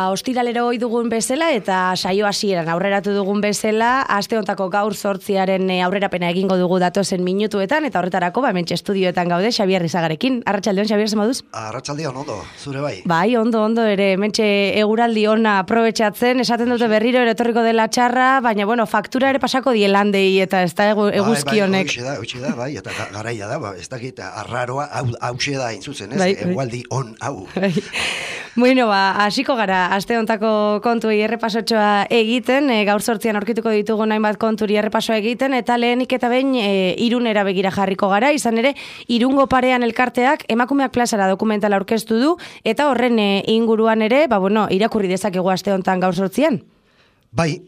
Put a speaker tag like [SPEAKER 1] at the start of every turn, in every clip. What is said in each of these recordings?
[SPEAKER 1] Ostiralero ohi dugun bezala eta saio hasieran aurreratu dugun bezala, aste hontako gaur 8 aurrerapena egingo dugu datozen minutuetan eta horretarako hementxe estudioetan gaude Xabier Rizagarekin. Arratsaldeon, Xabier, zer moduz?
[SPEAKER 2] Arratsaldeon, ondo, zure bai.
[SPEAKER 1] Bai, ondo ere, hementxe eguraldi ona aprobetxatzen, esaten dute berriro ere etorriko dela txarra, baina faktura ere pasako dielandei eta ez da eguzki honek.
[SPEAKER 2] Hoxe da, bai, eta garaia da, ez dakit arraroa, hauxe da intzuzen, ez? Egualdi on hau.
[SPEAKER 1] Bueno, hasiko gara, aste hontako kontuei errepasotxoa egiten, gaur 8 aurkituko ditugu hainbat konturi errepasoa egiten, eta lehenik eta behin Irunera begira jarriko gara, izan ere, Irungo parean elkarteak emakumeak plazara dokumentala aurkeztu du, eta horren inguruan ere, irakurri dezakegu aste hontan gaur 8.
[SPEAKER 2] Bai,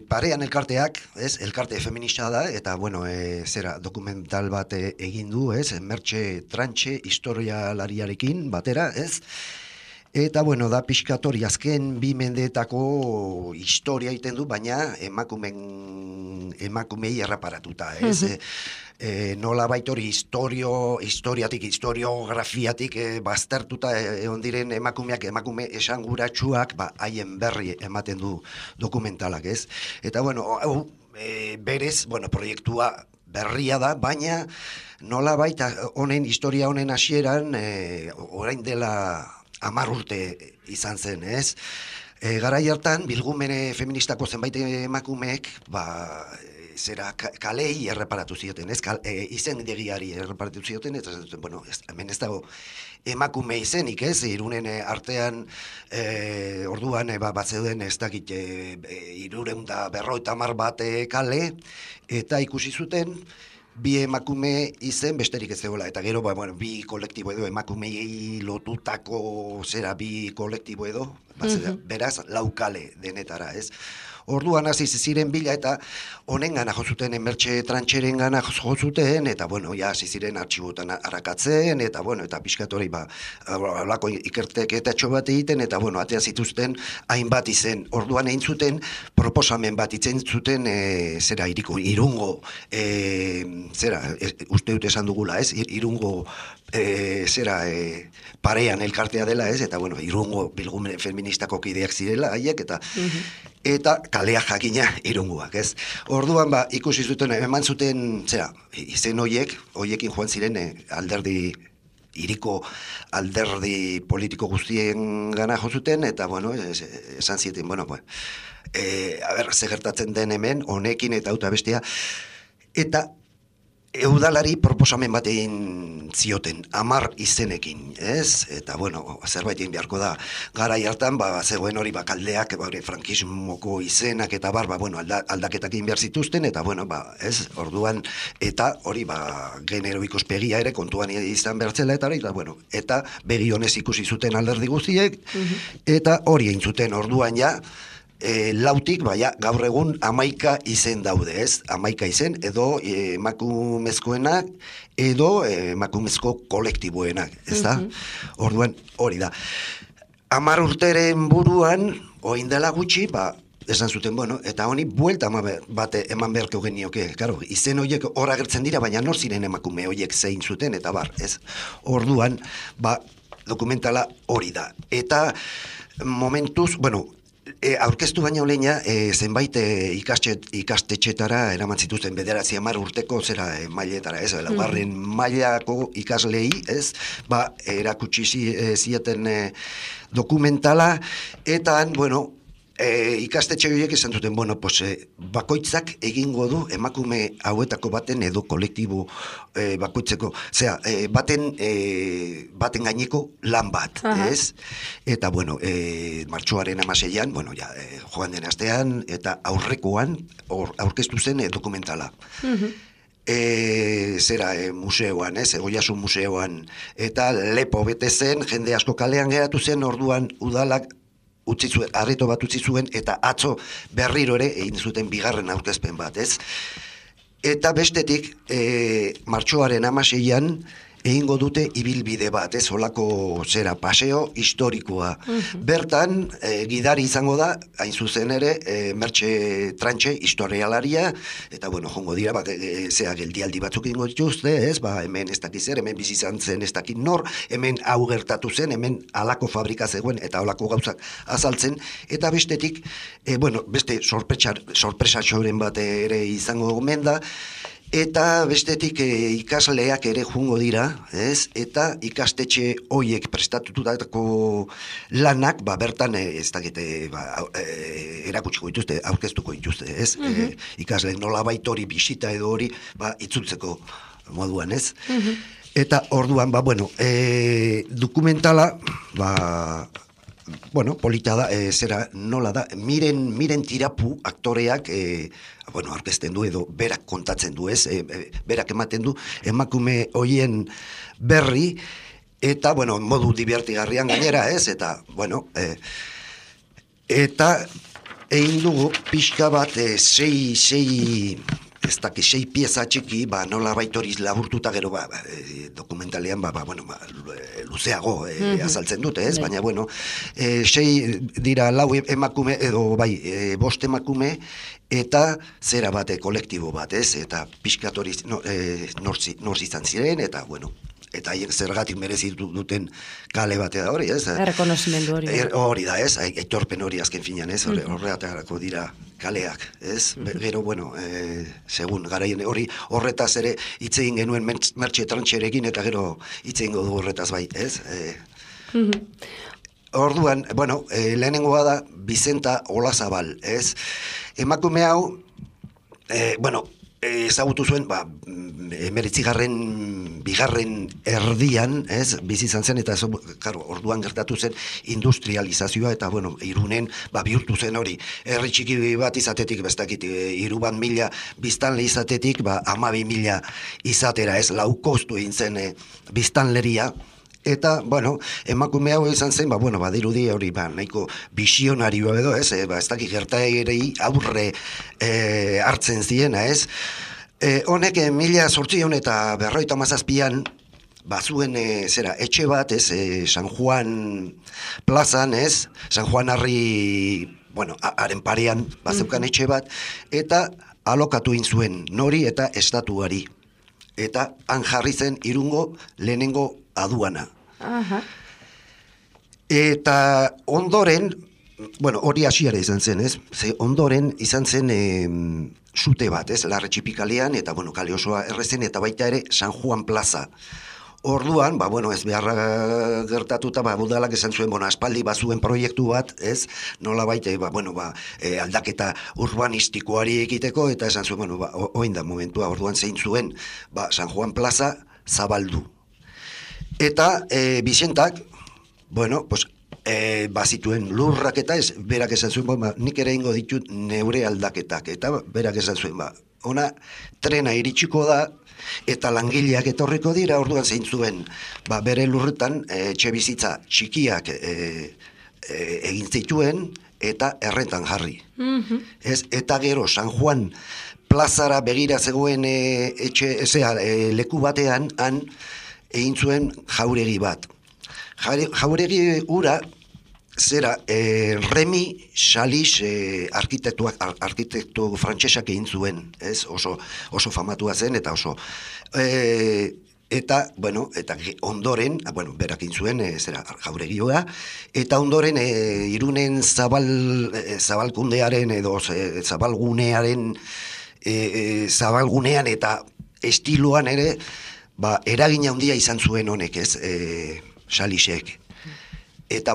[SPEAKER 2] parean elkarteak, elkarte feminista da, eta, dokumental bat egin du, Mertxe Trantxe historialariarekin batera, Eta, da pixkatori azken 2 mendeetako historia egiten du, baina emakumei erreparatuta, nola baitori historiografiatik baztertuta egon diren emakume esanguratsuak, haien berri ematen du dokumentalak, Eta, berez, proiektua berria da, baina nola baita historia honen hasieran, orain dela 10 urte izan zen, garai hartan, bilgumene feministako zenbait emakumeek, kalei erreparatu zioten, izendegiari erreparatu zioten, eta hemen ez dago emakume izenik, Irunen artean, orduan, batzeuden ez dakit, 350 bat kale, eta ikusi zuten, 2 emakume izen besterik ez zegoela, eta gero, 2 kolektibo edo, emakumei lotutako 2 kolektibo edo, beraz, 4 kale denetara, Orduan hasi ziren bila eta honen gana jozuten, Mertxe Trantxeren gana jozuten, eta hasi ziren artxibotan arakatzen, eta pixkatori alako ikerteketa bat egiten, eta atea zituzten hainbat izen. Orduan egin zuten proposamen bat itzen zuten Irungo, uste dut esan dugula, Irungo parean elkartea dela, eta Irungo bilgumen feministako kideak zirela haiek, eta kalea jakina Irungoak, Orduan, ikusi zuten, eman zuten, izen hoiekin joan ziren hiriko alderdi politiko guztien gana jozuten, eta, esan zieten, ze gertatzen den hemen, honekin eta auta bestia, eta eudalari proposamen bat egin zioten, 10 izenekin, Eta, zerbait egin beharko da. Garai hartan, zegoen hori kaldeak, frankismoko izenak, eta aldaketak egin behar zituzten, eta, orduan, eta hori, genero ikuspegia ere kontuan izan behartzela, eta begi honez ikusi zuten alderdi guztiek, eta hori egin zuten orduan ja, lautik, gaur egun 11 izen daude, 11 izen, edo emakumezkoenak, edo emakumezko kolektiboenak, Orduan, hori da. 10 urteren buruan, oin dela gutxi, esan zuten, eta honi buelta bat eman beharko genioke, izen horiek hor agertzen dira, baina nor ziren emakume horiek zein zuten, eta orduan, dokumentala hori da. Eta momentuz, aurkeztu baino leina, zenbait ikastetxetara eraman zituzten 9-10 urteko mailetara, laugarren mailako ikaslei, erakutsi zieten dokumentala, eta, ikastetxe horiek esan zuten, bakoitzak egingo du emakume hauetako baten edo kolektibo bakoitzeko, baten gaineko lan bat, Eta, martxoaren 16an, joan den astean, eta aurrekoan aurkeztu zen dokumentala. Museoan, Egoiasun museoan, eta lepo bete zen, jende asko kalean geratu zen, orduan udalak arreto bat utzi zuen, eta atzo berriro ere egin zuten 2. aurkezpen bat, Eta bestetik, martxoaren 16an, egingo dute ibilbide bat, olako zera paseo historikoa. Bertan, gidari izango da, hain zuzen ere, Mertxe Trantxe historialaria, eta bueno, jongo dira, zea geldialdi batzuk ingo dituzte, hemen ez dakiz hemen bizi izan zen ez dakit nor, hemen hau gertatu zen, hemen alako fabrika zegoen, eta alako gauzak azaltzen, eta bestetik, beste sorpresatxoren bat ere izango gomen da, eta bestetik ikasleak ere jungo dira, eta ikastetxe hoiek prestatutako lanak, bertan ez dakite erakutsiko dituzte, aurkeztuko dituzte, ikasleek nolabait hori bisita edo hori itzultzeko moduan, Eta orduan, dokumentala, polita da, zera nola da, miren tirapu aktoreak, aurkezten du edo berak kontatzen du, berak ematen du emakume hoien berri, eta, modu dibertigarrian gainera, eta, eta egin dugu pixka bat sei pieza txiki, nola baitoriz laburtuta gero, dokumentalean, luzeago azaltzen dute, baina, sei dira lau emakume, edo bost emakume, eta zera bate kolektibo bat, eta pixkatoriz norz izan ziren, eta, eta haien zergatik merezitu duten kale batea da hori,
[SPEAKER 1] Errekonozimendu hori.
[SPEAKER 2] Hori da, aitorpen hori azken finan, horretarako dira kaleak, Gero, segun, garaien horretaz ere hitz egin genuen Mertxe Trantxerekin, eta gero hitz egingo du horretaz bai, Orduan, lehenengoa da Bizenta Olazabal, Emakume hau, ezagutu zuen, 19. bigarren erdian, bizi izan zen, eta orduan gertatu zen industrializazioa, eta, Irunen, bihurtu zen hori, herri txiki bat izatetik, bestakit, 3.000 biztanle izatetik, 12.000 izatera, laukostu egin zen biztanleria, eta, emakume hau izan zen, badirudi hori, nahiko visionarioa edo, ez dakit gertaerei aurre hartzen ziena, Honek 1857an, bazuen etxe bat, San Juan plazan, San Juan Harri, haren parean, bazeukan etxe bat, eta alokatu zuen nori eta estatuari. Eta han jarri zen Irungo lehenengo aduana. Eta ondoren, hori hasiera izan zen, ondoren izan zen zute bat, Larretxipikalean, eta, kale osoa errezen, eta baita ere San Juan plaza. Orduan, ez beharra gertatuta, budalak esan zuen, aspaldi bazuen proiektu bat, nola baita, aldaketa urbanistikoari egiteko, eta esan zuen, oin da momentua, orduan zein zuen, San Juan plaza zabaldu. Eta Bizentak, bazituen lurrak eta berak esan zuen, nik ere ingo ditut neure aldaketak, eta berak esan zuen, ona trena iritsiko da, eta langileak etorriko dira, orduan zein zuen, bere lurretan etxe bizitza txikiak egin zituen, eta errentan jarri. Eta gero San Juan plazara begira zegoen leku batean, han egin zuen jauregi bat. Jauregi ura, zera, Remi Chalis arkitektu frantsesak egin zuen, oso famatua zen, eta oso, eta ondoren, berak egin zuen, zera, jauregioa, eta ondoren, Irunen zabalkundearen, edo zabalgunean eta estiloan ere, eragina handia izan zuen honek, Chalisek. Eta,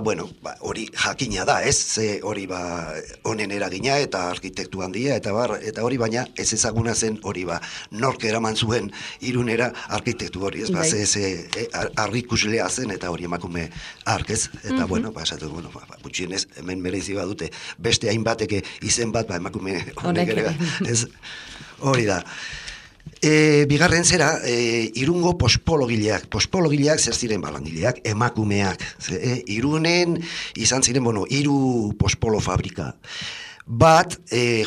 [SPEAKER 2] hori jakina da, hori honen eragina eta arkitektu handia, eta hori baina ez ezaguna zen hori nork eraman zuen Irunera arkitektu hori, arrikuslea zen, eta hori emakume ark, eta, esatu, gutxienez, hemen merezi badute, beste hainbateke izen bat, emakume honek ere, hori da. Bigarren zera, Irungo pospologileak zer ziren langileak, emakumeak. Irunen izan ziren, 3 pospolo fabrika. Bat,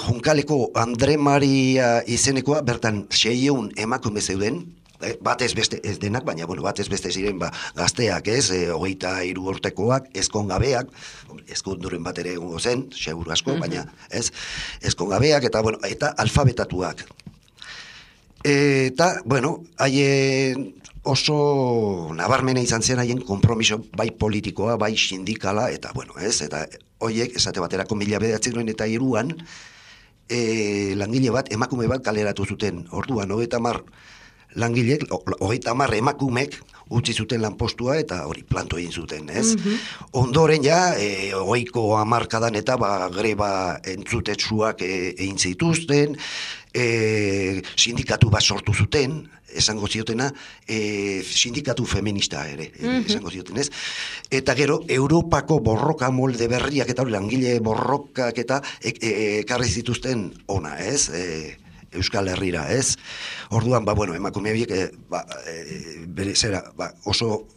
[SPEAKER 2] Junkaleko Andre Maria izenekoa, bertan 600 emakume zeuden, batez beste, ez denak, baina, bueno, batez beste ziren, gazteak, ez, 23 urtekoak, ezkongabeak, ezkonduren bat ere egongo zen, seguru asko, baina, ez, ezkongabeak, eta, bueno, eta alfabetatuak. Eta, bueno, haien oso nabarmena izan zen haien konpromiso bai politikoa, bai sindikala, eta, bueno, ez, eta hoiek, esate baterako 1903an, langile bat, emakume bat kaleratu zuten. Orduan, 30 langilek, 30 emakumek utzi zuten lanpostua eta hori planto egin zuten, ez? Ondoren ja, 20ko hamarkadan eta greba entzutetsuak egin zituzten, sindikatu bat sortu zuten, esango ziotena, sindikatu feminista ere, esango zioten, ez? Eta gero, Europako borroka molde berriak eta langile borrokak eta ekarri zituzten ona, ez? Euskal Herrira, ez? Orduan, bueno, emakume horiek bere zera, oso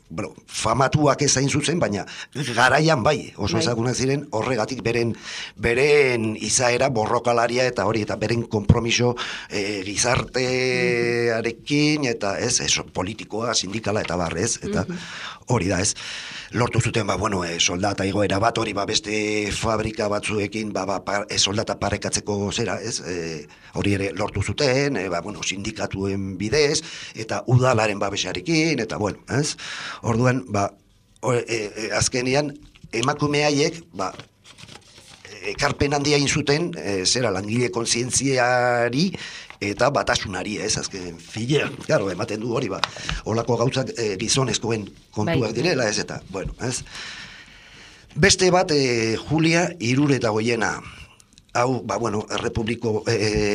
[SPEAKER 2] famatuak ez hain zuzen, baina garaian bai, oso ezagunak ziren horregatik beren izaera borrokalaria eta hori, eta beren konpromiso gizartearekin, eta ez, politikoa, sindikala eta barrez, eta hori da, ez? Lortu zuten, bueno, soldata igoera bat, hori beste fabrika batzuekin, soldata parekatzeko zera, ez? Hori ere lortu zuten, bueno, sindikatuen bidez, eta udalaren babesarekin, eta bueno, ez? Orduan, azkenian, emakume haiek, ekarpen handia egin zuten, zera langile kontzientziari, eta batasunari, ez, azken filean, claro, ematen du hori, holako gauzak gizonezkoen kontuak direla, ez, eta, bueno, ez. Beste bat, Julia Iruretagoiena, hau, bueno,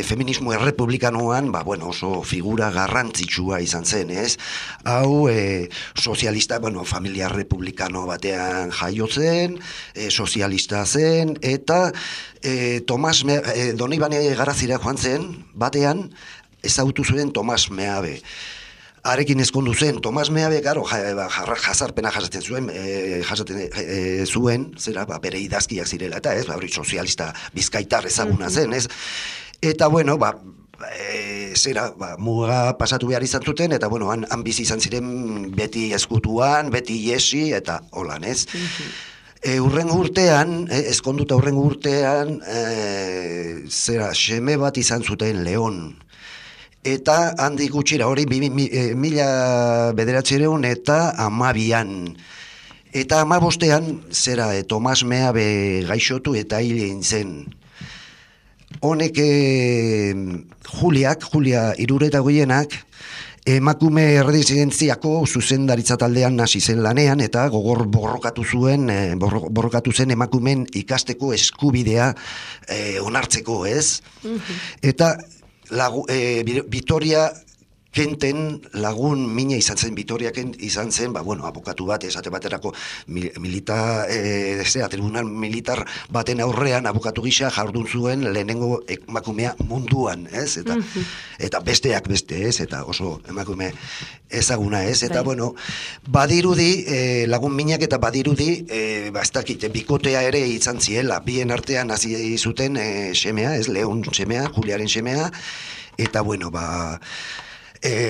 [SPEAKER 2] feminismo errepublikanoan, bueno, oso figura garrantzitsua izan zen, ez? Hau, sozialista, bueno, familia republikano batean jaio zen, sozialista zen, eta Donibane Garazira joan zen, batean, ezagutu zuen Tomas Meabe. Arekin ezkondu zen, Tomas Meabe, garo, jazarpena jasaten zuen, zera, bere idazkiak zirela, eta ez, hori sozialista bizkaitar ezaguna zen, ez? Eta, bueno, zera, muga pasatu behar izan zuten, eta, bueno, han bizi izan ziren beti eskutuan, beti iesi, eta holan, ez? Urrengo urtean, ezkonduta urrengo urtean, zera, seme bat izan zuten Leon. Eta handik gutxira, hori 1912 eta 12an. Eta 15ean, zera, Tomas Meabe gaixotu eta hil egin zen. Honek, Julia Iruretagoienak, emakume erresidentziako zuzendaritza taldean hasi zen lanean, eta gogor borrokatu zen emakumen ikasteko eskubidea onartzeko, ez? Eta Vitoria Kenten lagun mina izan zen, Vitoria Kent izan zen, bueno, abokatu bat, esate baterako tribunal militar baten aurrean abokatu gisa jardun zuen lehenengo emakumea munduan, ez? Eta besteak beste, ez? Eta oso emakume ezaguna, ez? Eta, bueno, badirudi, lagun minak eta badirudi, ez dakit, bikotea ere izan ziela, bien artean hasi zuten semea, ez? Leon semea, Juliaren semea, eta, bueno,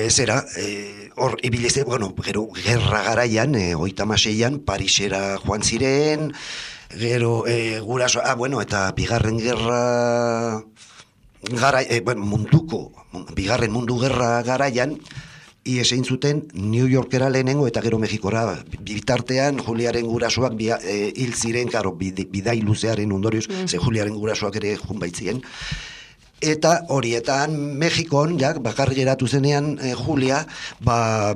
[SPEAKER 2] zera, hor ibileze, bueno, gero gerra garaian, 36an, Parisera joan ziren, gero guraso, bueno, eta bigarren gerra bigarren mundu gerra garaian, ies egin zuten New Yorkera lehenengo eta gero Mexikora. Bitartean, Juliaren gurasoak hil ziren, karo, bidai luzearen ondorioz, ze Juliaren gurasoak ere jun baitzien. Eta horietan Mexikon, bakarrik geratu zenean Julia,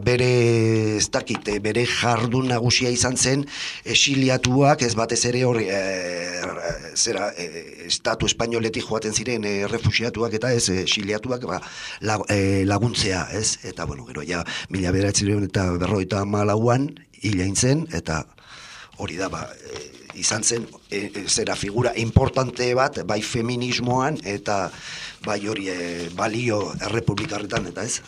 [SPEAKER 2] bere jardun nagusia izan zen, exiliatuak, ez batez ere hori, estatu espainoletik joaten ziren refuxiatuak eta ez exiliatuak laguntzea, ez? Eta, bueno, gero, 1954an hil egin zen, eta hori da, izan zen, zera figura importante bat, bai feminismoan, eta bai hori balio errepublikarretan, eta ez?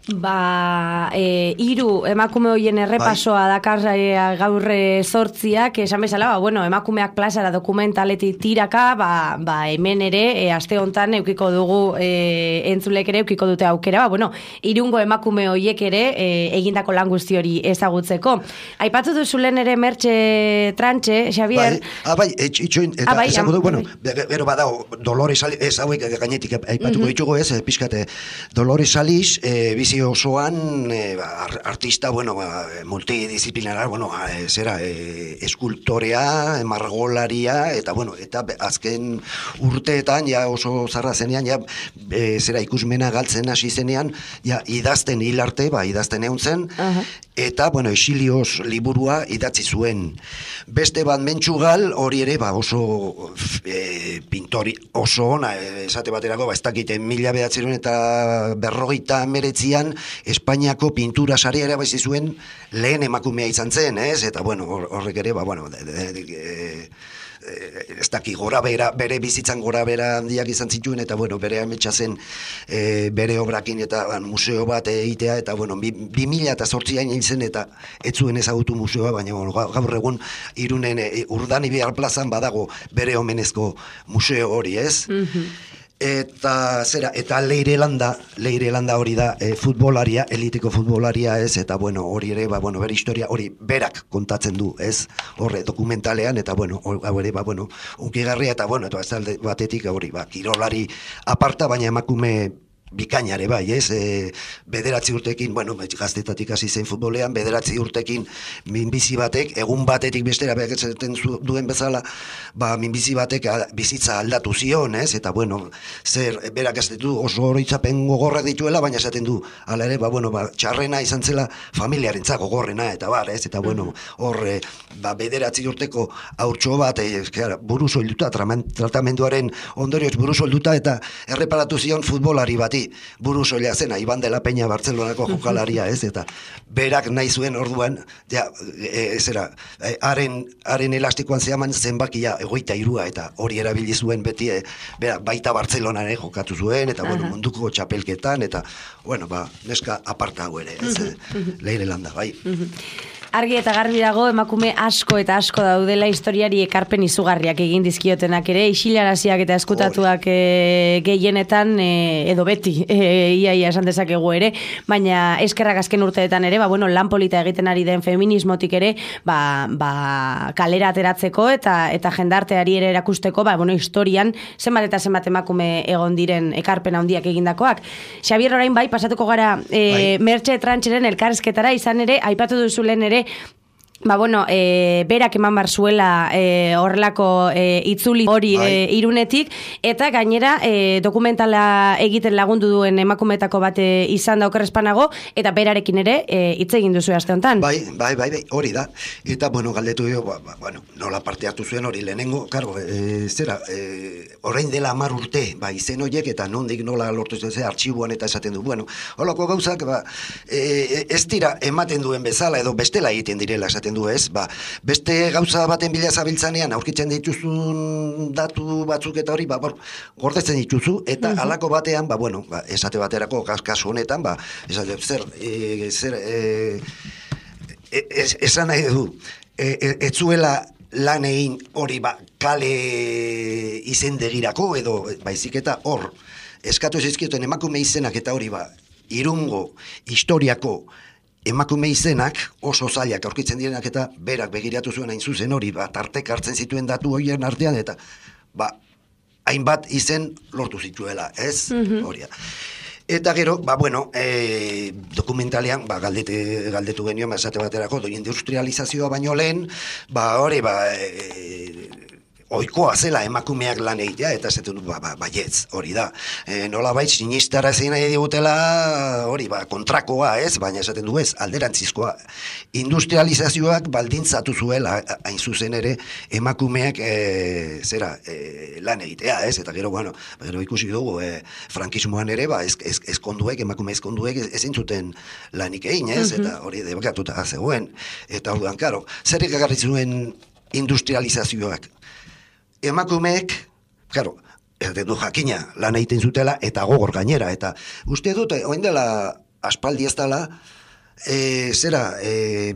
[SPEAKER 1] Hiru emakume hoien errepasoa dakar gaur zortziak, esan bezala, emakumeak plazara dokumentaletik tiraka, hemen ere, aste hontan eukiko dugu entzulek ere eukiko dute aukera, irungo emakume hoiek ere egindako lan guzti hori ezagutzeko. Aipatu duzulen ere Mertxe Trantxe, Xavier?
[SPEAKER 2] Itxoin, eta esango du, gero badago, Dolores Aliz, ez hauek gainetik aipatuko ditugu ez, pixkate, Dolores Aliz, bizi osoan artista, multidisciplinarar, eskultorea, margolaria, eta azken urteetan, oso zarra zenean, ikusmena galtzen hasi zenean, idazten hil arte, idazten egun zen, eta, Exilios liburua idatzi zuen. Beste bat Mentxugal, hori ere, oso pintori oso ona, esate baterako, ez dakite, 1900 eta 1959an Espainiako pintura saria ere baizi zuen lehen emakumea izan zen, ez? Eta, horrek ere, ez daki bere bizitzan gora bera handiak izan zituen, eta bere ametsa zen bere obrakin eta museo bat egitea, eta 2008an izan eta ez zuen ezagutu museoa, baina gaur egun Irunen Urdanibar plazan badago bere omenezko museo hori, ez? Eta Leire Landa hori da futbolaria, eliteko futbolaria, ez? Eta hori ere, bere historia hori berak kontatzen du, ez? Horre dokumentalean, eta hau ere, unkigarria, eta ez alde batetik hori, kirolari aparta, baina emakume bikainare bai, ez? 9 urtekin, gaztetatik hasi zen futbolean, 9 urtekin minbizi batek, egun batetik bestera behaketzen duen bezala, minbizi batek bizitza aldatu zion, ez? Eta, berak ez ditu oso horitzapen gogorrak dituela, baina esaten du, ala ere, txarrena izan zela familiarentzat gogorrena, eta ez? Eta, hor, 9 urteko haurtxo bat, buruz olduta, tratamenduaren ondorioz buruz olduta, eta erreparatu zion futbolari bati, buru soila zena, Iban de la Peña Bartzelonako jokalaria, ez? Eta berak nahi zuen orduan, haren elastikoan zehaman zenbakia 23, eta hori erabili zuen beti, berak baita Bartzelonan jokatu zuen, eta munduko txapelketan, eta, neska aparta hau ere, ez? Leire Landa, bai.
[SPEAKER 1] Argi eta garbi dago, emakume asko eta asko daudela historiari ekarpen izugarriak egin dizkiotenak ere, isilaraziak eta eskutatuak gehienetan, edo beti, iaia esan dezakegu ere, baina eskerrak azken urteetan ere, lan polita egiten ari den feminismotik ere, kalera ateratzeko eta jendarteari ere erakusteko, historian zenbat eta zenbat emakume egon diren ekarpen handiak egindakoak. Xavier, orain pasatuko gara Mertxe Trantxeren elkarrizketara, izan ere, aipatu duzulen ere, berak eman bar zuela horrelako itzuli hori Irunetik, eta gainera dokumentala egiten lagundu duen emakumetako bat izan da okerrespanago, eta berarekin ere hitz egin duzu aste honetan.
[SPEAKER 2] Bai, hori da. Eta, galdetu nola parte hartu zuen hori lehenengo, orain dela 10 urte, izen horiek, eta nondik nola lortu zen, artxibuan eta esaten du, holako gauzak, ez dira ematen duen bezala, edo bestela egiten direla esaten du, ez? Beste gauza baten bila zabiltzanean aurkitzen dituzun datu batzuk eta hori, gordetzen dituzu, eta halako batean, esate baterako kasu honetan, esan nahi du, ez zuela lan egin hori kale izendegirako, edo baizik eta hor, eskatu zizkioten emakume izenak eta hori Irungo historiako emakume izenak oso zailak aurkitzen direnak, eta berak begiratu zuen hain zuzen hori, tartek hartzen zituen datu horien artean, eta hainbat izen lortu zituela, ez? Horia. Eta gero, dokumentalean, galdetu genioen, esate baterako, industrializazioa baino lehen, hori, oikoa zela emakumeak lan egitea, eta esaten du, baietz, hori da. Nolabait sinistara zein nahi digutela, hori, kontrakoa, ez? Baina esaten du ez, alderantzizkoa. Industrializazioak baldintzatu zuela, hain zuzen ere, emakumeak lan egitea, ez? Eta gero, gero ikusi dugu, frankismoan ere, ezkonduek, emakume ezkonduek ezin zuten lanik egin, ez? Eta hori debakatuta zegoen. Eta orduan, karo, zerrik agarri zuen industrializazioak? Emakumeek, esaten du jakina, lan egiten zutela, eta gogor gainera, eta uste dut, oin dela aspaldi ez dela,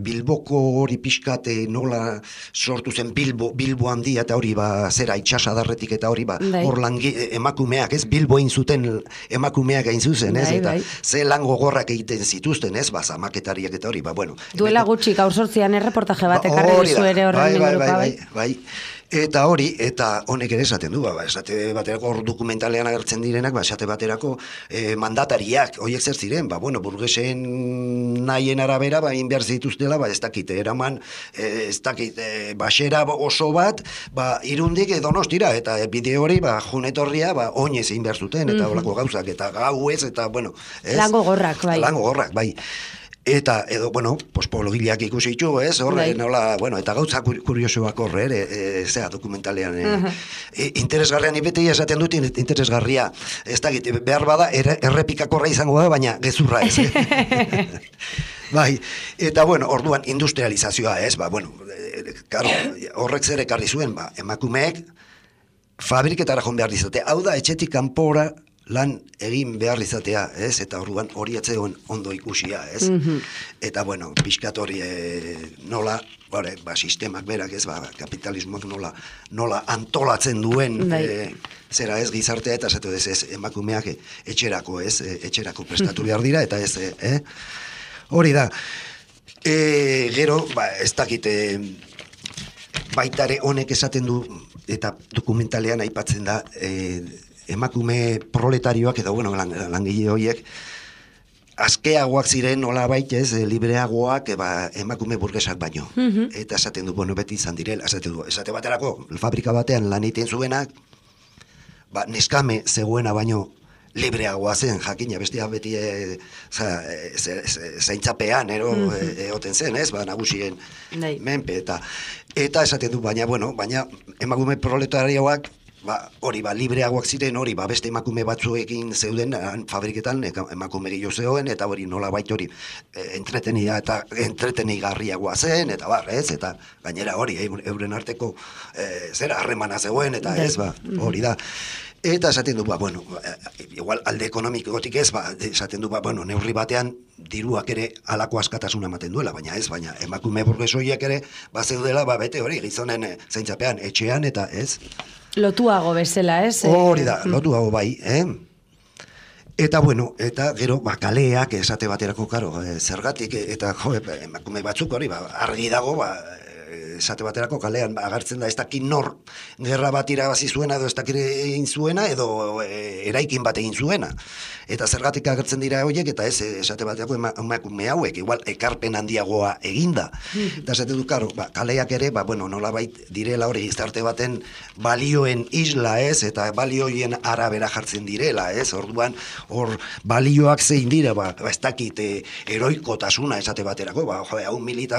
[SPEAKER 2] Bilboko hori pixkate nola sortu zen Bilbo handia eta hori itxasadarretik eta hori hor emakumeak, ez, Bilbo egin zuten emakumeak egin zuzen, ez, eta ze lan gogorrak egiten zituzten, ez, zamaketariak eta hori, bueno.
[SPEAKER 1] Duela gutxi, gaur sortzian erreportaje bat ekarri dizu ere horren inguruka,
[SPEAKER 2] bai. Eta hori, eta honek ere esaten du, esate baterako hor dokumentalean agertzen direnak, esate baterako mandatariak, horiek zer ziren, burgesen nahien arabera, egin behar zituztela, ez dakit, eraman, ez dakit, basera oso bat, irundik Donostira, eta bide hori, junetorria, oinez egin behar zuten, eta holako gauzak, eta gauez, eta, ez?
[SPEAKER 1] Lango gorrak,
[SPEAKER 2] bai. Eta, pologileak ikusi ditu, ez, horre, nola, eta gauza kuriosoak horre, dokumentalean, interesgarria, ni beti esaten dut interesgarria, ez da, behar bada, errepikakorra izango da, baina gezurra ez, Bai, eta, orduan industrializazioa, ez, horrek zer ekarri zuen, emakumeek fabriketara joan behar dizate, hau da, etxetik kanpora lan egin behar izatea, ez? Eta orduan hori atzegoen ondo ikusia, ez? Eta, pixkat hori nola, sistemak berak, ez? Kapitalismoak nola antolatzen duen, zera ez gizartea, eta zatu ez emakumeak etxerako, ez? Etxerako prestatu behar dira, eta ez, hori da. Gero, ez dakite, baitare honek esaten du, eta dokumentalean aipatzen da, emakume proletarioak edo langile horiek askeagoak ziren nolabait, ez, libreagoak emakume burgesak baino. Eta esaten du, beti izan direla, esate baterako fabrika batean lan egiten zuenak, neskame zegoena baino libreagoa zen, jakina, bestia beti zaintzapean egoten zen, ez, nagusien menpe, eta esaten du, baina emakume proletarioak hori libreagoak ziren, hori beste emakume batzuekin zeuden fabriketan emakume gehiago zegoen, eta hori nola bait hori entretenigarriagoa zen, eta ez, eta gainera hori euren arteko zera harremana zegoen, eta ez, hori da. Eta esaten du, igual alde ekonomikotik ez, esaten du, neurri batean diruak ere halako askatasuna ematen duela, baina emakume burgesoiak ere zeudela, bete hori gizonen zaintzapean, etxean, eta ez.
[SPEAKER 1] Lotuago bezala, ez?
[SPEAKER 2] Hori da, lotuago bai, Eta, eta gero, kaleak esate baterako, zergatik, eta emakume batzuk hori, argi dago, esate baterako kalean agertzen da ez dakit nor gerra bat irabazi zuena edo ez dakit egin zuena edo eraikin bat egin zuena. Eta zergatik agertzen dira horiek eta ez esate baterako emakume hauek, igual ekarpen handiagoa eginda. Eta esate du, kaleak ere, nolabait direla hori gizarte baten balioen isla, ez, eta balioien arabera jartzen direla, ez, orduan hor balioak zein dira, ez dakit eroikotasuna esate baterako, hau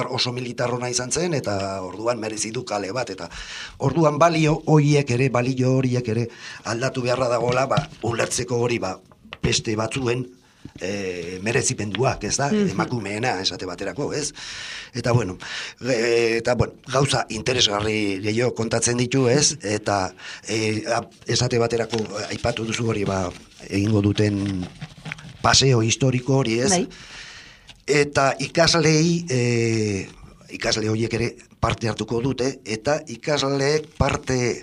[SPEAKER 2] oso militar hona izan zen, eta orduan merezi du kale bat, eta orduan balio horiek ere aldatu beharra dagoela, ulertzeko hori, beste batzuen merezipenduak, ez da, emakumeena esate baterako, ez? Eta, gauza interesgarri gehiago kontatzen ditu, ez? Eta esate baterako aipatu duzu hori, egingo duten paseo historiko hori, ez? Eta ikasle horiek ere parte hartuko dute, eta ikasleek parte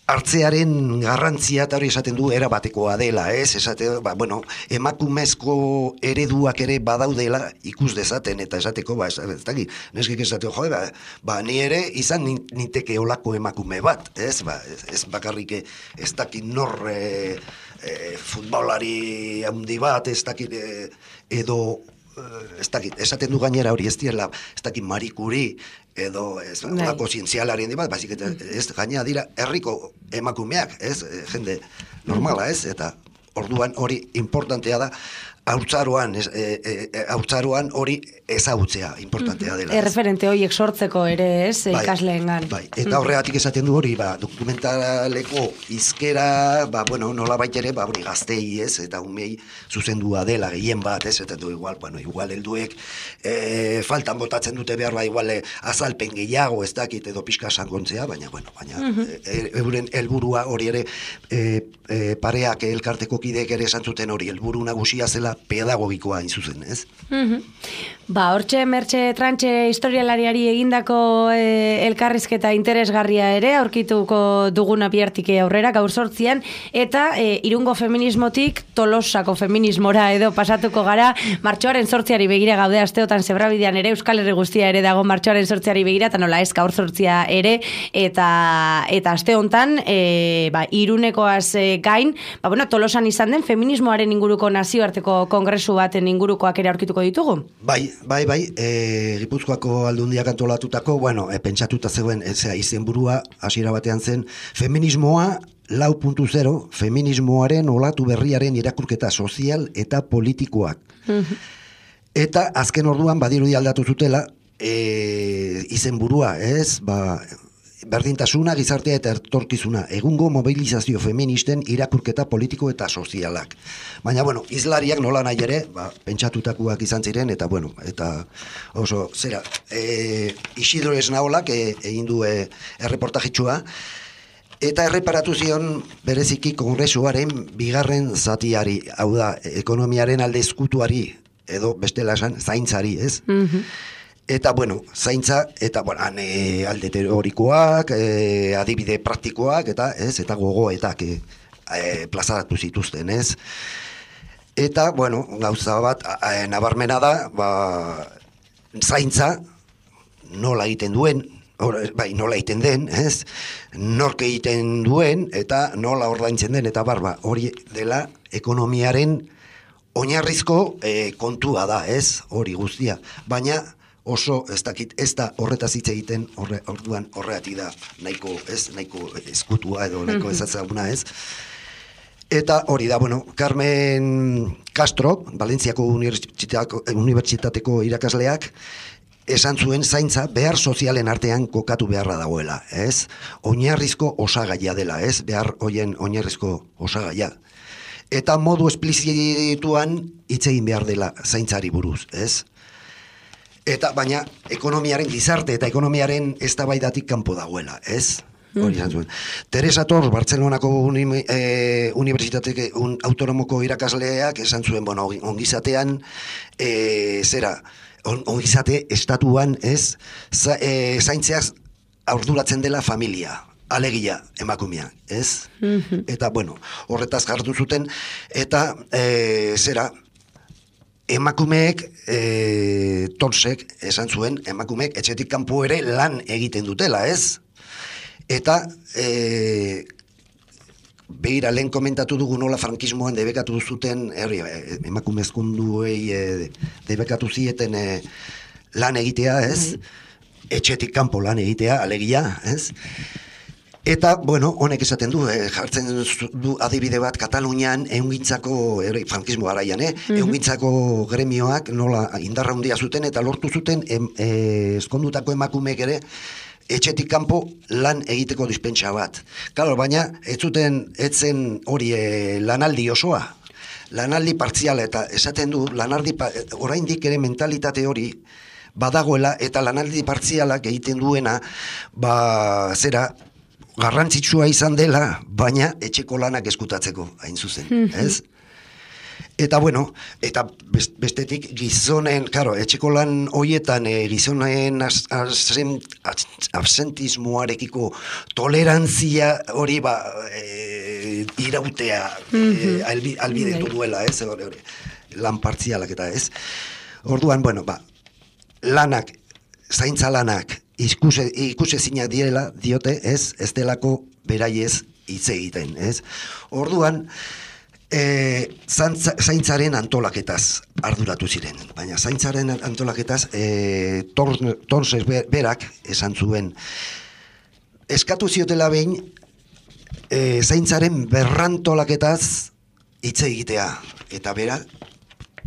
[SPEAKER 2] hartzearen garrantzia eta hori esaten du erabatekoa dela, ez? Emakumezko ereduak ere badaudela ikus dezaten, eta esateko, ez dakit, neskik esateko, ni ere izan ninteke olako emakume bat, ez? Ez bakarrik ez dakit nor futbolari handi bat, ez dakit edo ez dakit, esaten du gainera hori ez direla, ez dakit Marie Curie edo ez lako zientzialarien bat, baizik eta ez gainera dira herriko emakumeak, ez, jende normala, ez, eta orduan hori importantea da, haurtzaroan hori ezagutzea importantea dela.
[SPEAKER 1] Erreferente horiek sortzeko ere, ez, ikasleengan.
[SPEAKER 2] Eta horregatik esaten du hori, dokumentaleko izkera, nola baitere, hori gaztei, ez, eta umei zuzendua dela, gehien bat, ez, eta du igual helduek faltan botatzen dute behar, igual azalpen gehiago, ez dakit, edo pixka sangontzea, baina euren helburua hori ere, pareak elkarteko kideek ere esan zuten hori, helburu nagusia zela, pedagogikoa zuzen, ez?
[SPEAKER 1] Hortxe Mertxe Trantxe historialariari egindako elkarrizketa interesgarria ere aurkituko duguna bihartik aurrera gaur 8 eta Irungo feminismotik Tolosako feminismora edo pasatuko gara. Martxoaren 8 begira gaude asteotan Zebrabidean ere, Euskal Herri guztia ere dago martxoaren 8 begira, eta nola ez gaur 8 ere, eta aste hontan Irunekoaz gain, Tolosan izan den feminismoaren inguruko nazioarteko kongresu baten ingurukoak ere aurkituko ditugu.
[SPEAKER 2] Bai, Gipuzkoako Aldundiak antolatutako, pentsatuta zegoen, izenburua hasiera batean zen, feminismoa 4.0, feminismoaren olatu berriaren irakurketa sozial eta politikoak. Eta azken orduan badirudi aldatu zutela, izenburua, ez, berdintasuna, gizartea eta etorkizuna, egungo mobilizazio feministen irakurketa politiko eta sozialak. Baina, izlariak nola nahi ere, pentsatutakoak izan ziren, eta oso, Isidro Esnaolak egin du erreportajitxua, eta erreparatu zion bereziki kongresuaren bigarren zatiari, hau da, ekonomiaren alde ezkutuari, edo bestela esan, zaintzari, ez? Eta, zaintza, eta, alde teorikoak, adibide praktikoak, eta gogoetak plazaratu zituzten, ez? Eta, gauza bat, nabarmena da, zaintza nola egiten duen, nola egiten den, ez? Nork egiten duen, eta nola ordaintzen den, eta hori dela ekonomiaren oinarrizko kontua da, ez? Hori guztia. Baina, oso ez da horretaz hitz egiten, orduan horregatik da nahiko eskutua edo nahiko ezazaguna, ez? Eta hori da, Carmen Castro, Valentziako Unibertsitateko irakasleak, esan zuen zaintza behar sozialen artean kokatu beharra dagoela, ez? Oinarrizko osagaia dela, ez? Behar hoien oinarrizko osagaia. Eta modu esplizituan hitz egin behar dela zaintzari buruz, ez? Eta baina ekonomiaren gizarte eta ekonomiaren eztabaidatik kanpo dagoela, ez? Hori izan zuen. Teresa Tors, Bartzelonako Unibertsitateko autonomoko irakasleak esan zuen, ongizatean, ongizate estatuan, ez? Zaintzeaz arduratzen dela familia, alegia emakumea, ez? Eta, horretaz jartu zuten, eta, emakumeek, Torsek esan zuen, emakumeek etxetik kanpo ere lan egiten dutela, ez? Eta, behira, lehen komentatu dugu nola frankismoan debekatu zuten, emakumezkunduei debekatu zieten lan egitea, ez? Etxetik kanpo lan egitea, alegia, ez? Eta, honek esaten du, jartzen du adibide bat Katalunian ehungintzako, frankismo garaian, ehungintzako gremioak nola indarra handia zuten eta lortu zuten eskondutako emakumeek ere etxetik kanpo lan egiteko dispentsa bat. Claro, baina etzen hori lanaldi osoa, lanaldi partziala, eta esaten du, oraindik ere mentalitate hori badagoela, eta lanaldi partzialak egiten duena, garrantzitsua izan dela, baina etxeko lanak eskutatzeko, hain zuzen, ez? Eta eta bestetik gizonen, etxeko lan hoietan gizonen absentismoarekiko tolerantzia hori irautea albidetu duela, ez? Lan partzialak eta ez. Orduan, lanak, zaintza lanak, ikusezinak direla, diote, ez delako beraiez hitz egiten, ez? Orduan, zaintzaren antolaketaz arduratu ziren, baina zaintzaren antolaketaz Torses berak esan zuen, eskatu ziotela behin zaintzaren berrantolaketaz hitz egitea, eta bera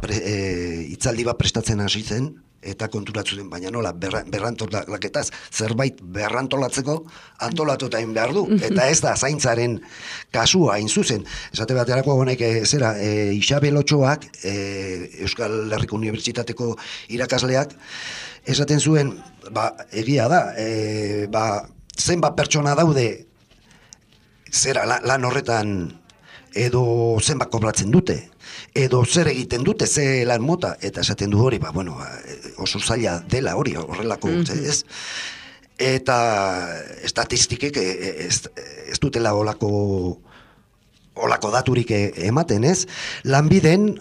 [SPEAKER 2] hitzaldi bat prestatzen hasi zen, eta konturatu zen, baina nola, berrantolaketaz, zerbait berrantolatzeko antolatuta egin behar du, eta ez da zaintzaren kasua hain zuzen. Esate baterako honek, Isabel Otxoak, Euskal Herriko Unibertsitateko irakasleak, esaten zuen, egia da, zenbat pertsona daude, lan horretan edo zenbat kobratzen dute, edo zer egiten dute, ze lan mota, eta esaten du hori, oso zaila dela hori, horrelako, ez? Eta estatistikek ez dutela olako daturik ematen, ez? Lanbiden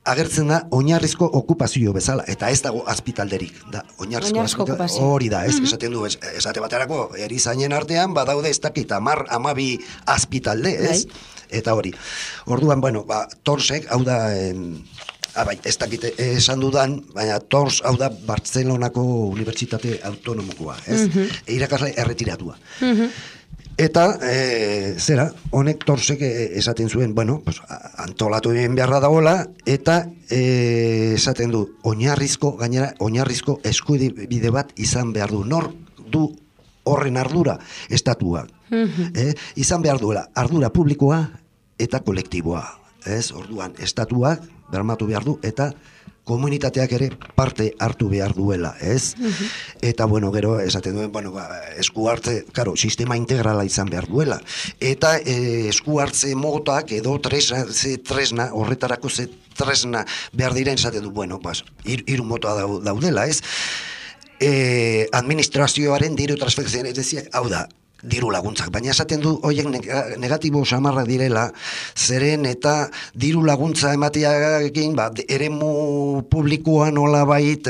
[SPEAKER 2] agertzen da oinarrizko okupazio bezala, eta ez dago azpitalderik, da oinarrizko okupazio. Hori da, ez? Esaten du, esate baterako, erizainen artean, badaude ez dakit, 10-12 azpitalde, ez? Eta hori. Orduan, Torsek, hau da, ez dakit esan dudan, baina Tors, hau da, Bartzelonako Unibertsitate Autonomokoa, ez? Irakasle erretiratua. Eta, honek Torsek esaten zuen, antolatu egin beharra dagoela, eta esaten du, oinarrizko eskubide bat izan behar du. Nor du horren ardura estatuak. Izan behar duela, ardura publikoa eta kolektiboa. Orduan, estatuak bermatu behar du, eta komunitateak ere parte hartu behar duela, ez? Eta, gero, esaten duen, esku hartze, sistema integrala izan behar duela. Eta esku hartze motak edo tresna, horretarako ze tresna behar diren, esaten du, hiru mota daudela, ez? Administrazioaren diru transferentzia, ez deziak, hau da, diru laguntzak, baina esaten du horiek negatibo samarra direla, zeren eta diru laguntza ematearekin eremu publikoan nolabait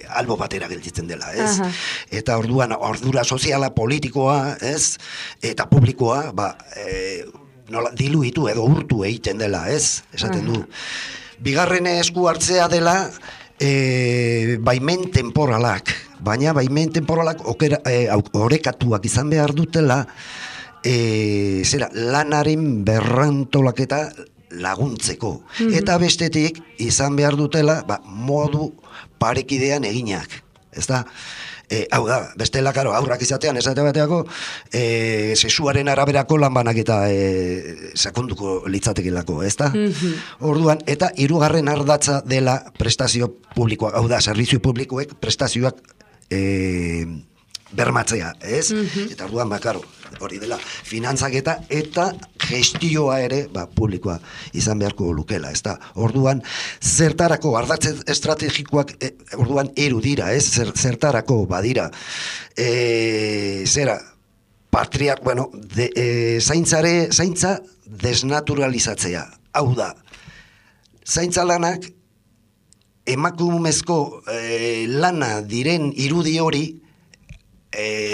[SPEAKER 2] albo batera gelditzen dela, ez? Eta orduan ordura soziala, politikoa, ez? Eta publikoa, diluitu edo urtu egiten dela, ez? Esaten du. Bigarren esku hartzea dela baimen temporalak, baina baimen temporalak orekatuak izan behar dutela lanaren berrantolaketa laguntzeko. Eta bestetik izan behar dutela modu parekidean eginak. Ez da? Hau da, bestela, aurrak izatean, esate bateako, sexuaren araberako lanbanak eta sakonduko litzatekelako, ez da? Orduan, eta hirugarren ardatza dela prestazio publikoak, hau da, servizio publikoek prestazioak bermatzea, ez? Eta orduan, hori dela, finantzaketa eta gestioa ere, publikoa izan beharko lukela, ez da? Orduan, zertarako, ardatze estrategikoak, orduan, dira, ez? Zertarako, badira, zaintza desnaturalizatzea. Hau da, zaintza lanak, emakumezko lana diren irudi hori,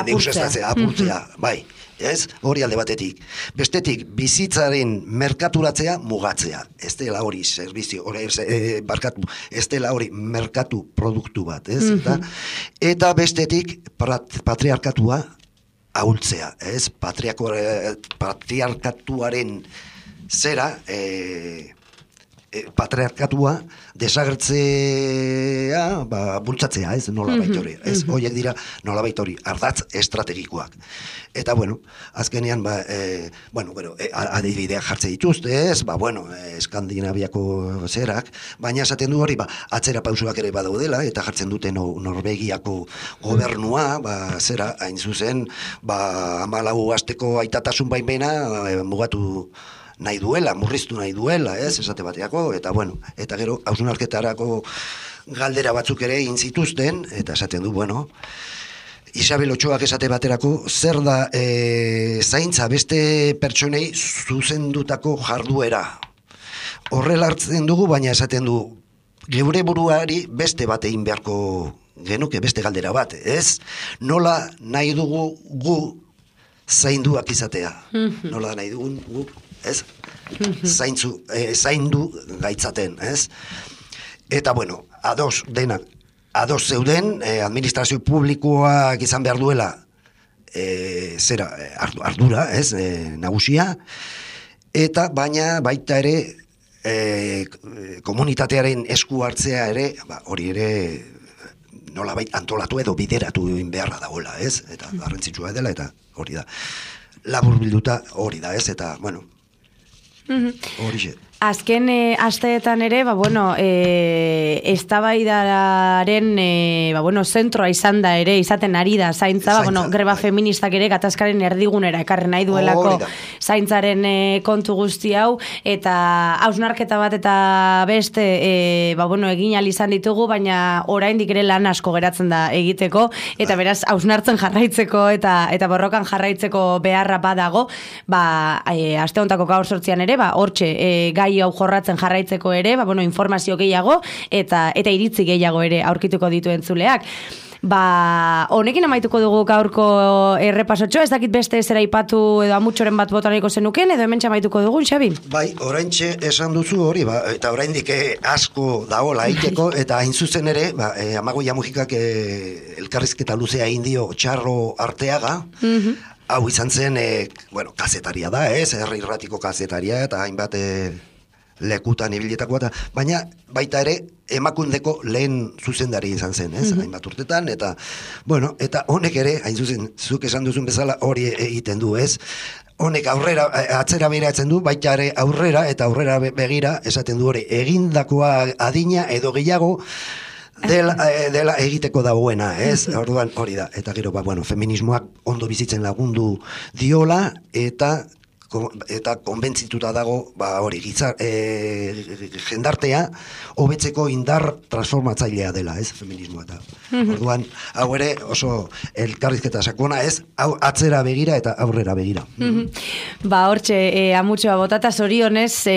[SPEAKER 2] deusestatzea, apurtzea, bai. Ez? Hori alde batetik. Bestetik, bizitzaren merkaturatzea mugatzea. Ez dela hori servizio, ez dela hori merkatu produktu bat, ez? Eta bestetik, patriarkatua ahultzea, ez? Patriarkatuaren zera, patriarkatua desagertzea, bultzatzea, ez? Nolabait hori. Ez? Horiek dira nolabait hori, ardatz estrategikoak. Eta, azkenean, adibideak jartze dituzte, ez? Eskandinaviako zerak, baina esaten du hori, atzera pausuak ere badaudela, eta jartzen dute Norvegiako gobernua, hain zuzen, 14 asteko aitatasun baimena mugatu nahi duela, murriztu nahi duela, ez, esate bateako, eta eta gero, hausnarketarako galdera batzuk ere egin zituzten, eta esaten du, Isabel Ochoak esate baterako, zer da zaintza beste pertsonei zuzendutako jarduera. Horrela hartzen dugu, baina esaten du, geure buruari beste bat egin beharko genuke, beste galdera bat, ez? Nola nahi dugu gu zainduak izatea? Nola nahi dugun gu, ez? Zaindu gaitzaten, ez? Eta, ados zeuden, administrazio publikoak izan behar duela ardura, ez? Nagusia, eta baina baita ere komunitatearen esku hartzea ere, hori ere nolabait antolatu edo bideratu beharra dagoela, ez? Eta garrantzitsua dela, eta hori da. Labur bilduta hori da, ez? Eta, hori xe.
[SPEAKER 1] Azken asteetan ere, eztabaidaren zentroa izan da ere, izaten ari da zaintza, greba feministak ere gatazkaren erdigunera ekarri nahi duelako zaintzaren kontu guzti hau, eta hausnarketa bat eta beste egin ahal izan ditugu, baina oraindik ere lan asko geratzen da egiteko, eta beraz hausnartzen jarraitzeko eta borrokan jarraitzeko beharra badago, aste hontako gaur 8 ere, hortxe gai hau jorratzen jarraitzeko ere, informazio gehiago eta iritzi gehiago ere aurkituko ditu entzuleak. Honekin amaituko dugu gaurko errepasotxo, ez dakit beste zera ipatu edo amutxoren bat botaniko zenuken, edo hemen txamaituko dugun, Xabi?
[SPEAKER 2] Bai, oraintxe esan duzu hori, eta oraindik asko dagoela aiteko, eta hain zuzen ere, Amagoia Mujikak elkarrizketa luzea indio Txarro Arteaga, hau izan zen, kazetaria da, herri irratiko kazetaria, eta hainbat lekutan ibiletakoa, baina baita ere emakundeko lehen zuzendari izan zen, hainbat urtetan, eta honek ere, hain zuzen, zuk esan duzun bezala hori egiten du, honek atzera behiratzen du, baita ere aurrera begira, esaten du hori, egindakoa adina edo gehiago, dela egiteko dagoena, orduan hori da, eta gero, feminismoak ondo bizitzen lagundu diola, eta konbentzituta dago hori jendartea hobetzeko indar transformatzailea dela, feminismoa eta orduan, hau ere oso elkarrizketa sakona, hau atzera begira eta aurrera begira.
[SPEAKER 1] Hortxe, amutxoa botata zorionez,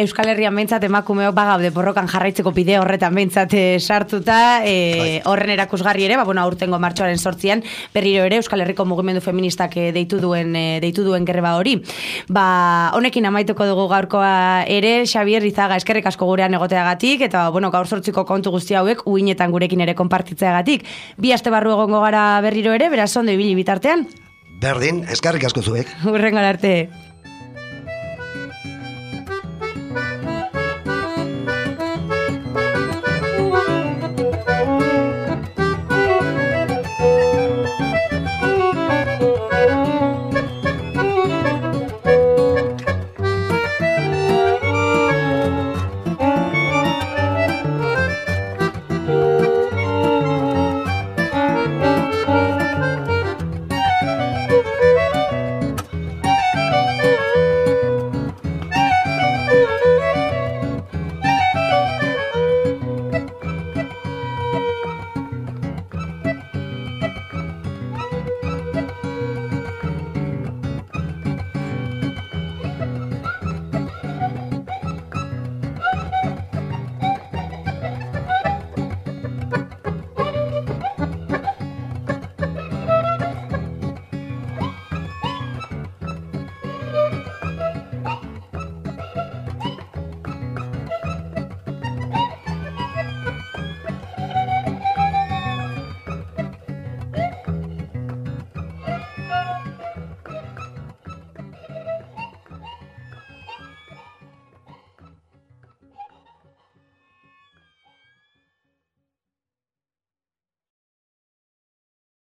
[SPEAKER 1] Euskal Herrian behintzat emakumeo bagaude borrokan jarraitzeko bide horretan behintzat sartuta, horren erakusgarri ere, aurtengo martxoaren 8an, berriro ere Euskal Herriko mugimendu feministak deitu duen greba hori. Honekin amaituko dugu gaurkoa ere, Xabier Izaga, eskerrik asko gurean egoteagatik, eta gaur 8ko kontu guzti hauek uinetan gurekin ere konpartitzeagatik. 2 aste barru egongo gara berriro ere, beraz ondo ibili bitartean.
[SPEAKER 2] Berdin, eskerrik asko zuek.
[SPEAKER 1] Hurrengo arte.